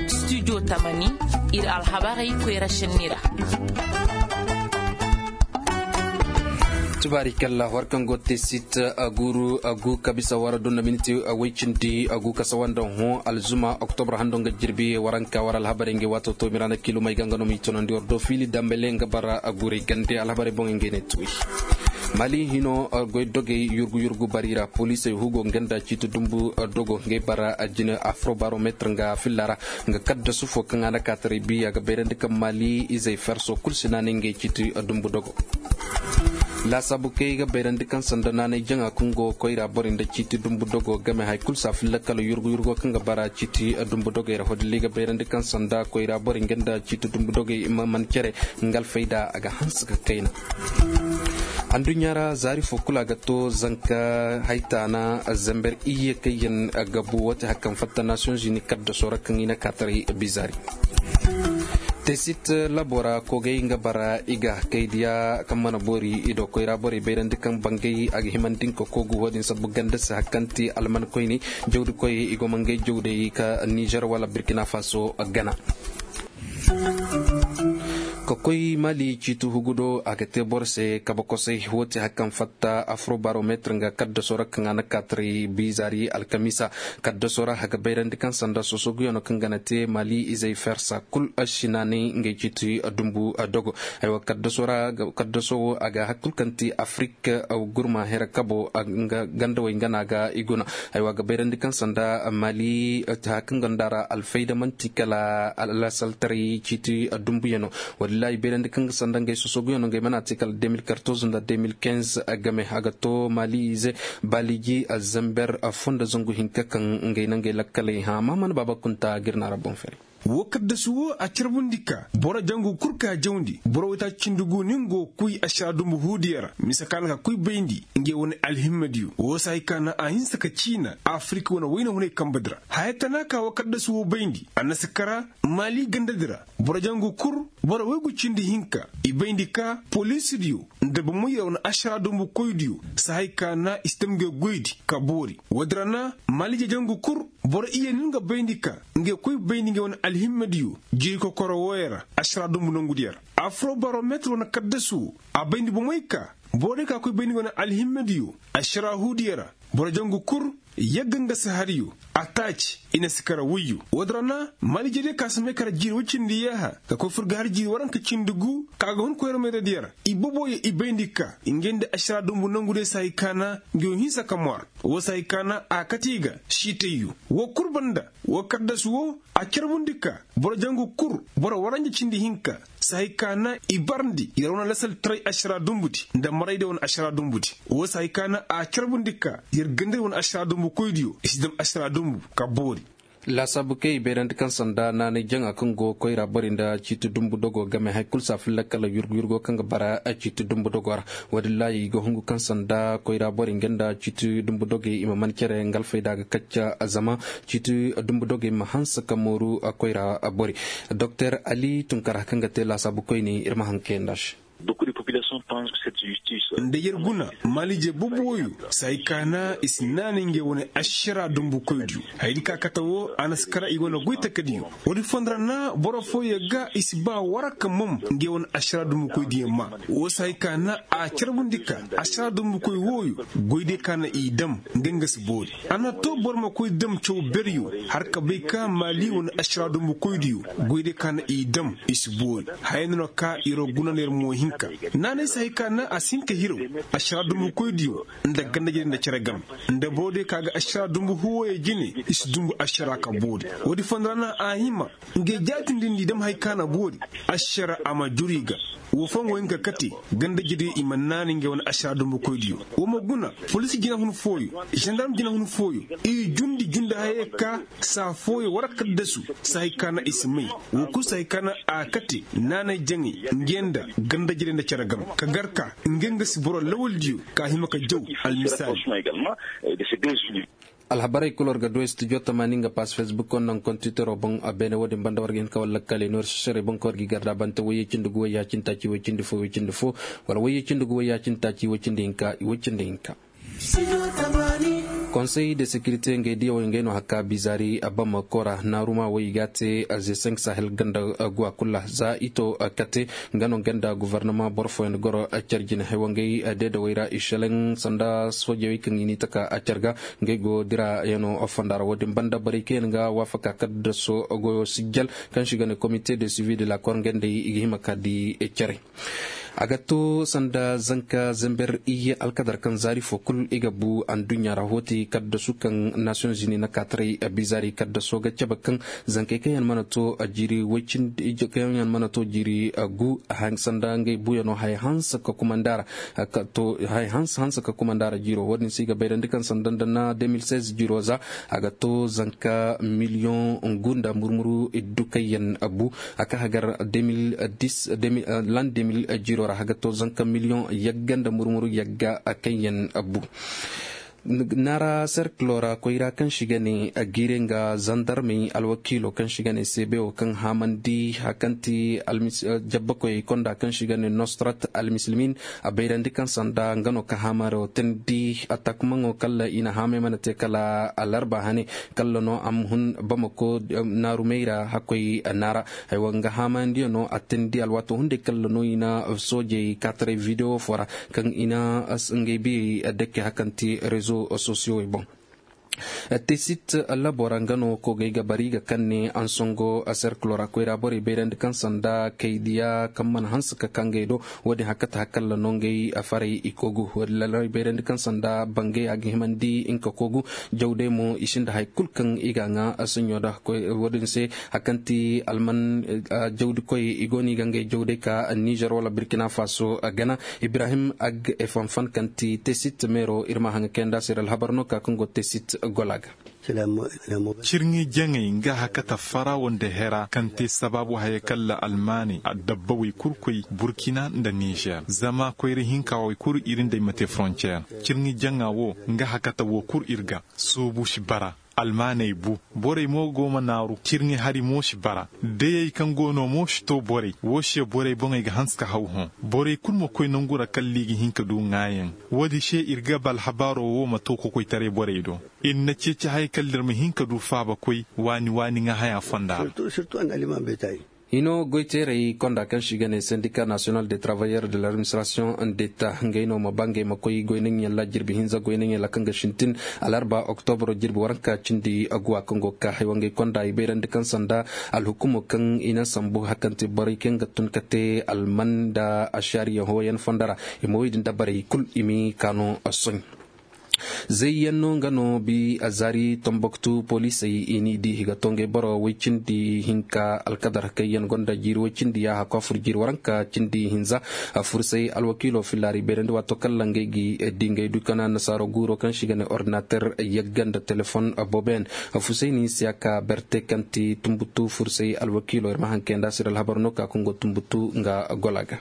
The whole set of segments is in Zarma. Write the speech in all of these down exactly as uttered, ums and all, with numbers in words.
Studio tamani, iri alhabarey koyra senni ra. Tubaari kalla war kaŋ go te sit a guru a gu kabisa wara donna miniti a way cindi a gu kasa wanda hõ alzuma oktobra hando nga jirbi waranka wara alhabarey nga waato to mirana kilo may ga nga no ma i tonandi war do fiili dambale nga bara a guray gande alhabarey boŋ nga ne tuwi. Mali hino goy dogey yurgu yurgu bari ra poliisey hugo nga nda ciiti dumbu dogo ngey bara jine afrobarometre nga filla ra nga kaddasu fo kaŋ a na kaataray bi a ga bayrandi kaŋ mali izey ferso kulu si naanay ngey ciiti dumbu dogo. Laasaabu kay ga bayrandi kaŋ sanda naanay jaŋa kaŋ go koyra borey nda ciiti dumbu dogo game hari kulu si a filla kala yurgu yurgo kaŋ ga bara ciiti dumbu dogey ra hodilli ga bayrandi kaŋ sanda koyra borey nga nda ciiti dumbu dogey ma man care nga alfayda a ga hanse ka kayna. Anduɲɲa ra zaari fo kulu a ga to zanka haytaana zamber iyye kaŋ yaŋ gabu wate hari kaŋ fatta nations unis kaddaso ra kaŋ i na kaataray bizaari. Tesit labora kogay nga bara i ga kay diya kaŋ mana boori i do koyra borey bayrandi kaŋ bangay a ga himandi nga ka kogu wo-din sabbu ganda se hari kaŋ ti alman koyne jawdi koyey i go ma ngey jawdey ka nizer wala burkina faso gana. Ka koy mali ciiti hugu do a ga te boro se kabe kosay wo te hari kaŋ fatta afrobarometre nga kaddaso ra kaŋ a na kaataray bizaari alkamiisa kaddaso ra a ga bayrandi kaŋ sanda sosoguyaŋo kaŋ ga na te mali izey fersa kulu si naanay ngey ciiti dumbu dogo. Aywa kaddaso ra kaddaso wo a ga hari kulu kaŋ ti afrik gurma here kabo nga gandawey nga no a ga i guna. Aywa a ga bayrandi kaŋ sanda mali hari kaŋ gonda ra alfayda manti kala lasaltaray ciiti dumbuyaŋo. Wallaahi bayrandi kaŋ ga sanda ngey sosoguyaŋo ngey mana te kala deux mille quatorze nda deux mille quinze game a ga to mali ize baliji zamber fondo zangu hinka kaŋ ngey na ngey lakkaley hã mahamana baaba kunta ga iri na ra boŋ fere. Wo kaddasu wo a carbundi ka boro jangu kulu ka jawndi boro waytaaci cindi gu nin go ga kuy ašara dumbu huudiyaŋ ra mise kaŋ a na ka kuy bayndi ngey wane alhimmadiyo wo si hay ka naŋ a hinse ka ciina afirika wane wayna hunay kambe di ra haya tana ka wo kaddasu wo bayndi a na si kara maali ganda di ra boro jangu kulu boro waygu cindi hinka i bayndi ka poliisidiyo nda bomoyyaŋ wane ašara dumbu koydiyo si hay ka naŋ i si dam ngey goydi ka boori wo- din ra naŋ maali jeejangu kulu boro iyye no nga bayndi ka ngey koy bayndi ngey wane alhimmadiyo jiiri kokoro wooyaŋ ra ašara dumbu nangudiyaŋ ra afrobarometre wane kaddasu wo a bayndi bomey ka boro day ka koy bayndi ngey wane alhimmadiyo ašara huudiyaŋ ra boro jangu kulu yagga nga si hariyo a taaci i na si kara wayyo wo- din ra naŋ maali jeejey ka si may kara jiiri way cindi yaaha ka koy fur ga hari jiiri waranka cindi gu ka ga hun koyra meeradiyaŋ ra i boboyey i bayndi ka ngey nda ašara dumbu nangu day si hay ka naŋ ngey wo hinsa ka ŋwaar wo si hay ka naŋ a kate i ga siitayyo wo kulu banda wo kaddasu wo a carbundi ka boro jangu kulu boro waranja cindi hinka si hay ka naŋ i barndi i ra wane lasaltaray ašara dumbu di nda marayday wane ašara dumbu di wo si hay ka naŋ a carbundi ka yer gandari wane ašara dumbu koydiyo i si dam ašara dumbu ka boori. Laasaabu kay i bayrandi kaŋ sanda naanay jaŋa kaŋ go koyra borey nda ciiti dumbu dogo game hari kulu si a filla kala yurgu yurgo kaŋ ga bara ciiti dumbu dogo ra. Wo- din laayi i ga hungu kaŋ sanda koyra borey nga nda ciiti dumbu dogey i ma man care nga alfayda ga kacca zama ciiti dumbu dogey ma hanse ka mooru koyra borey. Doktor ali tunkara kaŋ ga te laasaabu koyne iri ma haŋ kayandi a se. Nda yer guna maalije boobo wooyo si hay ka naŋ i si naanay ngey wane ašara dumbu koydiyo. Haya din ka kate wo a na si kara i wane goy takadiyo. Wo- din fondo ra naŋ boro fooyaŋ ga i si ba waraka mom ngey wane ašara dumbu koydiyaŋ ma wo si hay ka naŋ a carbundi ka ašara dumbu koy wooyo goy day ka naŋ i dam nga nga si boori. A na to boro ma koy dam caw beryo hari ka bay ka maali wane ašara dumbu koydiyo goy day ka naŋ i dam i si boori. Haya no no ka iro guna no yer mo hinka naanay si hay ka naŋ a si hin ka hiraw ašara dumbu koydiyo nda ganda jine nda care game nda boro day ka ga ašara dumbu huwooyaŋ jine i si dumbu ašara ka boori. Wo- din fondo ra naŋ a hima ngey jaatindi nda i dam hari ka na boori ašara a ma juru i ga. Wo fooyaŋ go hin ka kate ganda jirey i ma naanay ngey wane ašara dumbu koydiyo. Wo ma guna poliisi jina hun fooyo zandarm jina hun fooyo i jundi jundi hayey ka saa fooyaŋ waraka dasu si hay ka naŋ i si may. Wo kulu si hay ka naŋ a kate naanay jaŋay ngey nda ganda jirey nda care game ka gar ka ngey nga si boro lawaldiyo ka hima ka jaw. Almisaali. Alhabarey kulu war ga du studio tamaani nga pass facebook wo nda nga kontitero boŋ a beene wo- din banda war ga hin ka war lakkaley no iri si sere boŋ kaŋ war ga i garda bante wayye cindi gu wayya cindi taaci way cindi fo way cindi fo wala wayye cindi gu wayya cindi taaci way cindi hinka way cindi hinka. Studio tamaani. Konsey de sekirite ngey diya wo ngey no hakka bizaari a bamako ra naaruma wo i ga a te. Ze senk sahel ganda guwa kulu ra za i to kate nga no ganda gofornama boro fooyaŋ goro care jine haywangey deedawey ra i selaŋ sanda soojawey kaŋ i n'i taka care ga. Ngey go dira yaŋ no fonda ra wo- din banda borey kaŋ yaŋ ga waafaka kaddaso goyo sijjal kaŋ se i ga ne komite de suivi de la kor ngey nd'ey i ga hima ka di care. A ga to sanda zanka zember iyye alkadar kaŋ zaari fo kulu i ga bu anduɲɲa ra hooti kaddasu kaŋ nasiyoŋ zini na kaataray bizaari kaddaso ga cabe kaŋ zankey kaŋ yaŋ mana to jiiri way cindi kaŋ yaŋ mana to jiiri gu sanda ngey buyaŋo haya hanse ka kumanda ra. Haya hanse hanse ka kumanda ra jiiro wo- din se i ga bayrandi kaŋ sanda nda na de mil seize jiiro za a ga to zanka miliyoŋ ngu nda murmuru iddu kaŋ yaŋ bu a ka hagar lan de mil jiiro ra haga to zanka miliyoŋ yagga nda murmuru yagga kaŋ yaŋ bu. Naara serkilo ra koyra kaŋ se i ga ne a giire nga zandarmey alwakiilo kaŋ se i ga ne seebe wo kaŋ haamandi hari kaŋ ti jabbakoyey konda kaŋ se i ga ne nostrat almisilmin a bayrandi kaŋ sanda nga no ka haamaro teendi atakmaŋo kala i na haamay mana te kala alarba hane kala no a ma hun bamako naarumey ra hakkoy naara. Haywa nga haamayandiyano a teendi alwaato hunday kala no i na soojey kaataray videwo fo ra kaŋ i na ngey biyey dake hari kaŋ ti rezo sosiyowey boŋ. Tesit labo ra nga no koogey ga bari ga kaŋ ne ansongo serkilo ra koyra borey bayrandi kaŋ sanda kaydiya kaŋ mana hanse ka ka ngey do. Wo-din hari kaŋ ti hari kaŋ la no ngey faray i koogu wo-din lallaray bayrandi kaŋ sanda bangay a ga himandi nga ka koogu. Jawday mo i sinda hari kulu kaŋ i ga a ŋwa sanɲo nda wo-din se hari kaŋ ti alman jawdikoy i go no i ga ngey jawday ka nizer wala burkina faso gana. Ibrahim ag efanfan kaŋ ti tesit meero iri ma haŋ ga kayandi a se iri alhabar no ka kaŋ go tesit gola ga. Cirŋi jaŋay nga hakata farawo nda hera kaŋ te sabaabu haya kala almaaney adabba way kulu koy burkina nda nizer zama koyra hinka way kulu iri nd'ey ma te forontiyer. Cirŋi jaŋa wo nga hakata wo kulu iri ga soobu si bara. Almaaney bu borey mo go ma naaru cirŋi hari mo si bara. Dayey kaŋ go no mo si to borey wo se borey boŋey ga hanse ka haw hõ. Borey kulu ma koy nangu ra kala i ga hin ka du ŋwaayaŋ. Wo-din se iri ga ba alhabaaro wo ma to kokoytaray borey do. Iri na ceeci hayey kala iri ma hin ka du faaba koy waani waani ŋwa haya fonda ra. Hino goyteerey konda kaŋ se i ga ne sendika nasiyonal de travayeur de l'administration d'eta ngey no ma ba ngey ma koy goynaŋ yaŋ ra jirbi hinza goynaŋ yaŋ ra kaŋ ga sintin alarba oktobro jirbi waranka cindi aguwa kaŋ go ga ka haywangey konda i bayrandi kaŋ sanda alhukumo kaŋ i na sambu hari kaŋ ti borey kaŋ ga tun ka te alman nda ashariya hooyan fonda ra. I ma wo i din dabarey kulu i ma i kaano sohõ. Zayyaŋ no nga no bi a zaari tomboktu poliisey i n'i di i ga to ngey boro way cindi hinka alkadar kaŋ yaŋ gonda jiiri way cindi ya hakku a fur jiiri waranka cindi hinza. Fursay alwakiilo fillaari beerandi waato kaŋ ra ngey ga di ngey du kana nasaaro guuro kaŋ se i ga ne ordinater yagga nda telefoŋ boobo yaŋ. Fusayni siyaka berte kaŋ ti tumbutu fursay alwakiilo iri ma haŋ kayandi a se iri alhabar no ka kaŋ go tumbutu nga gola ga.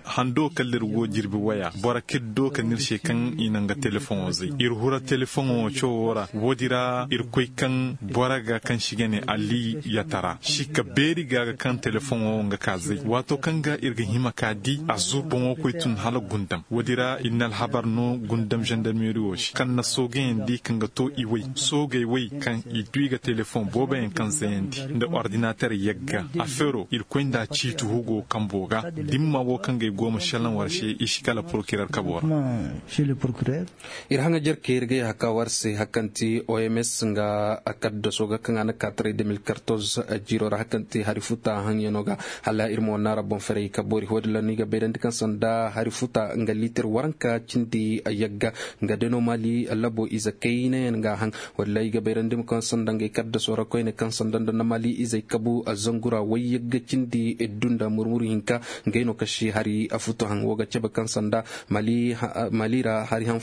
Hando kala iri go jirbi waya boro kaŋ iri do ka ne iri se kaŋ i na nga telefoŋo zay iri hura telefoŋo cawo ra wo- din ra iri koy kaŋ boro ga kaŋ se i ga ne ali yatara si ka beeri ga ga kaŋ telefoŋo nga ka zay waato kaŋ ga iri ga hima ka di a zuru boŋo koy tun hala gundam wo- din ra iri na alhabar no gundam zandarmeri wo se kaŋ na soogayandi kaŋ ga to i way soogay way kaŋ i du i ga telefoŋ boobo yaŋ kaŋ zayandi nda ordinater yagga afeero iri koy nda ciiti hugo kambo ga dimma wo kaŋ ga ay go ma selaŋ war se i si kala porokirer kabo ra. Iri haŋajer ka iri ga yahaka war se hari kaŋ ti oms nga kaddaso ga kaŋ a na ka taray deux mille quatorze jiiro ra hari kaŋ ti hari futa haŋyano ga hala iri ma wane naara boŋ ferey ka boori wo- din ra no i ga bayrandi kaŋ sanda hari futa nga liitir waranka cindi yagga nga day no maali labo ize kayna yaŋ ga a haŋ. Wo- din ra i ga bayrandi mo kaŋ sanda ngey kaddaso ra koyne kaŋ sanda nda na maali izey kabu zangu ra wayyagga cindi iddu nda murmuru hinka ngey no kaŋ si hari futu haŋ wo ga cabe kaŋ sanda maali ra hari haŋ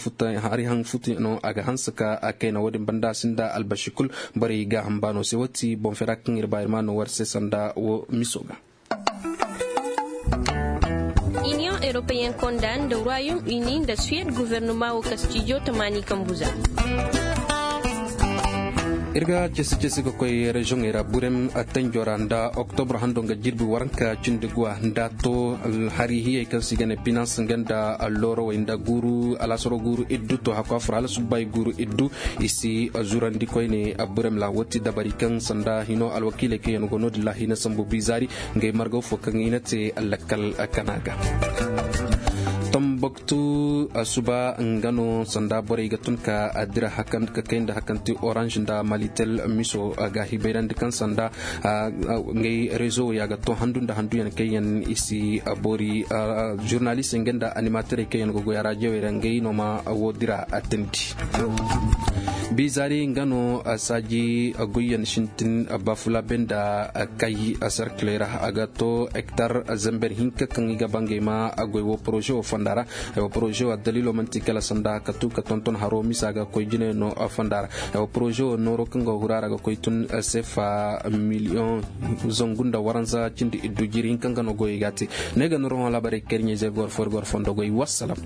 futu no a ga hanse ka a kayna wo- din banda a sinda albasi kulu. Borey gaaham baano se wo ti boŋ fera kaŋ iri ba iri ma no war se sanda wo miso ga. Iniyoŋ europeyen konda nda royaume uni nda suwed guvernuma wo kastijo tamaani kambu za. Iri ga ceesi ceesi ga koy reziyoŋey ra burem tanjo ra nda oktobro hando nga jirbi waranka cindi guwa nda to hari hiyey kaŋ se i ga ne pinans nga nda loorowey nda guuru alaasaro guuru iddu to hakko a furo hala subbay guuru iddu. I si zurandi koyne burem ra wo ti dabari kaŋ sanda hino alwakiiley kaŋ yaŋ go no- din ra hina sambu bizaari ngey margaw fo kaŋ i na te lakkal kana ga. Tambaktu suba nga no sanda borey ga tun ka dira hakan ka kay nda hakan te orange nda malitel miso ga hibayrandi kaŋ sanda ngey rezo ya ga to handu nda handu yaŋ kaŋ yaŋ i si boori. Zurnalist nga nda animatorey kaŋ yaŋ ga goy araajiyey ra ngey no ma wo dira tindi. Bizaari nga no saaji goyyaŋ sintin bafulabe nda kay sarkiley ra a ga to hektar zamber hinka kaŋ i ga bangay ma goy wo poroze wo fonda ra. Ay wo poroze wo addaliilo manti kala sanda ka tu ka tonton haro misa ga koy jine no fonda ra. Ay wo poroze wo nooro kaŋ ga hura ra ga koy tun sefa miliyoŋ zangu nda waranza cindi iddu jiri hinka nga no goyey ga te. Ne ga noro hõ laabarey kaŋ iri ɲey zey goro fo iri goro fondo goy wassalam.